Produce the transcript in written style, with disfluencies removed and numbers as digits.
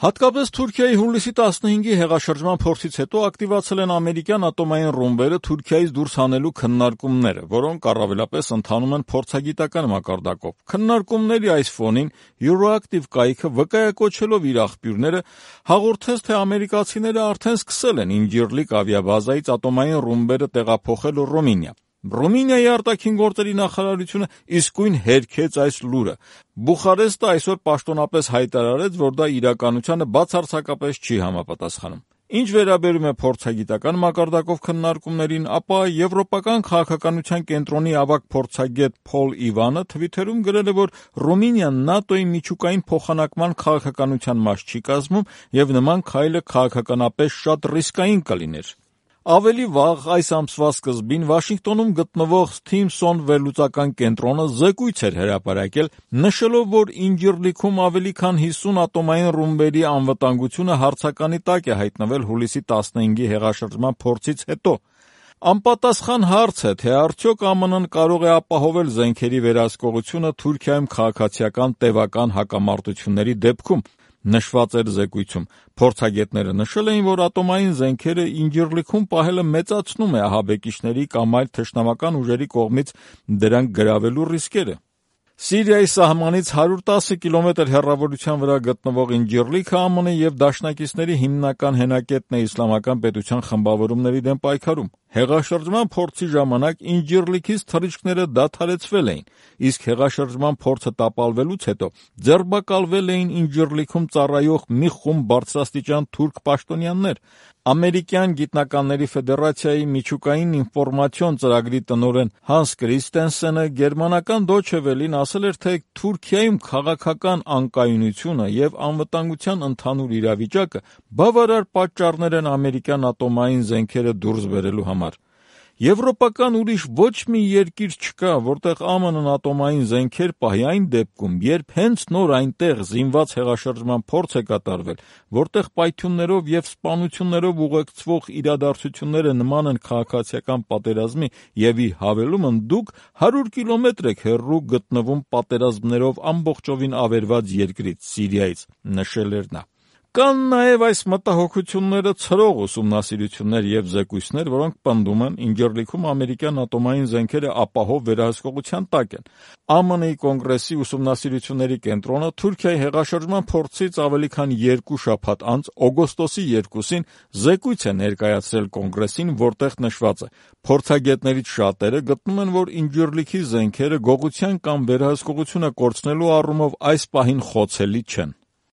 Հատկապես Թուրքիայի հուլիսի 15-ի հեղաշրջման փորձից հետո ակտիվացել են ամերիկյան ատոմային ռումբերը Թուրքիայից դուրս հանելու քննարկումները, որոնք առավելապես ընթանում են փորձագիտական մակարդակով։ Քննարկումների այս ֆոնին Euroactiv կայքը վկայակոչելով իր աղբյուրները հաղորդեց, թե ամերիկացիները արդեն սկսել են Ինջիրլիկ ավիաբազայից ատոմային ռումբերը տեղափոխել Ռումինիա։ Ռումինիայի արտաքին գործերի նախարարությունը իսկույն հերքեց այս լուրը։ Բուխարեստը այսօր պաշտոնապես հայտարարեց, որ դա իրականությանը բացարձակապես չի համապատասխանում։ Ինչ վերաբերում է փորձագիտական մակարդակով քննարկումներին, ապա Եվրոպական քաղաքականության կենտրոնի ավագ փորձագետ Փոլ Իվանը Թվիթերում գրել է, որ Ռումինիան ՆԱՏՕ-ի միջուկային փոխանակման քաղաքականության մաս չի կազմում եւ նման քայլը քաղաքականապես շատ ռիսկային կլիներ։ Ավելի վաղ այս ամսվա սկզբին Վաշինգտոնում գտնվող Stimson վերլուծական կենտրոնը զեկույց էր հրապարակել, նշելով, որ Ինջիրլիքում ավելի քան 50 ատոմային ռումբերի անվտանգությունը հարցականի տակ է հայտնվել հուլիսի 15-ի հեղաշրջման փորձից հետո։ Անպատասխան հարց է, թե արդյոք ԱՄՆ-ն կարող է ապահովել զենքերի վերահսկողությունը Թուրքիայում քաղաքացիական տևական հակամարտությունների դեպքում։ Նշված էր զեկույցում։ Փորձագետները նշել էին, որ ատոմային զենքերը Ինջիրլիքում պահելը մեծացնում է ահաբեկիչների կամ այլ թշնամական ուժերի կողմից դրանք գրավելու ռիսկերը։ Սիրիայի սահմանից 110 կիլոմետր հեռավորության վրա գտնվող Ինջիրլիքը ԱՄՆ եւ դաշնակիցների հիմնական հենակետն է իսլամական պետության խմբավորումների դեմ պայքարում։ Հեղաշրջման փորձի ժամանակ Ինջիրլիքից թռիչքները դադարեցվել էին, իսկ հեղաշրջման փորձը տապալվելուց հետո ձերբակալվել էին Ինջիրլիքում ծառայող մի խումբ բարձրաստիճան թուրք պաշտոնյաներ։ Ամերիկյան գիտնականների ֆեդերացիայի միջուկային ինֆորմացիոն ծրագրի տնօրեն Հանս Կրիստենսենը գերմանական Deutsche Welle-ին ասել էր, թե Թուրքիայում քաղաքական անկայունությունը եւ անվտանգության ընդհանուր իրավիճակը բավարար պատճառներ են ամերիկյան ատոմային զենքերը դուրս բերելու համար։ Եվրոպական ուրիշ ոչ մի երկիր չկա, որտեղ ԱՄՆ-ն ատոմային զենքեր պահի այն դեպքում, երբ հենց նոր այնտեղ զինված հեղաշրջման փորձ է կատարվել, որտեղ պայթյուններով եւ սպանություններով ուղեկցվող իրադարձությունները նման են քաղաքացիական պատերազմի եւ ի հավելումն դուք 100 կիլոմետր եք հեռու գտնվում պատերազմներով ամբողջովին ավերված երկրից, Սիրիայից, նշել էր նա։ Կան նաև այս մտահոգությունները ցրող ուսումնասիրություններ եւ զեկույցներ, որոնք պնդում են Ինջիրլիքում ամերիկյան ատոմային զենքերը ապահով վերահսկողության տակ են։ ԱՄՆ-ի կոնգրեսի ուսումնասիրությունների կենտրոնը Թուրքիայի հեղաշրջման փորձից ավելի քան 2 շաբաթ անց օգոստոսի 2-ին զեկույց է ներկայացրել կոնգրեսին, որտեղ նշված է. փորձագետներից շատերը գտնում են, որ Ինջիրլիքի զենքերը գողության կամ վերահսկողությունը կորցնելու առումով այս պահին խոցելի չեն։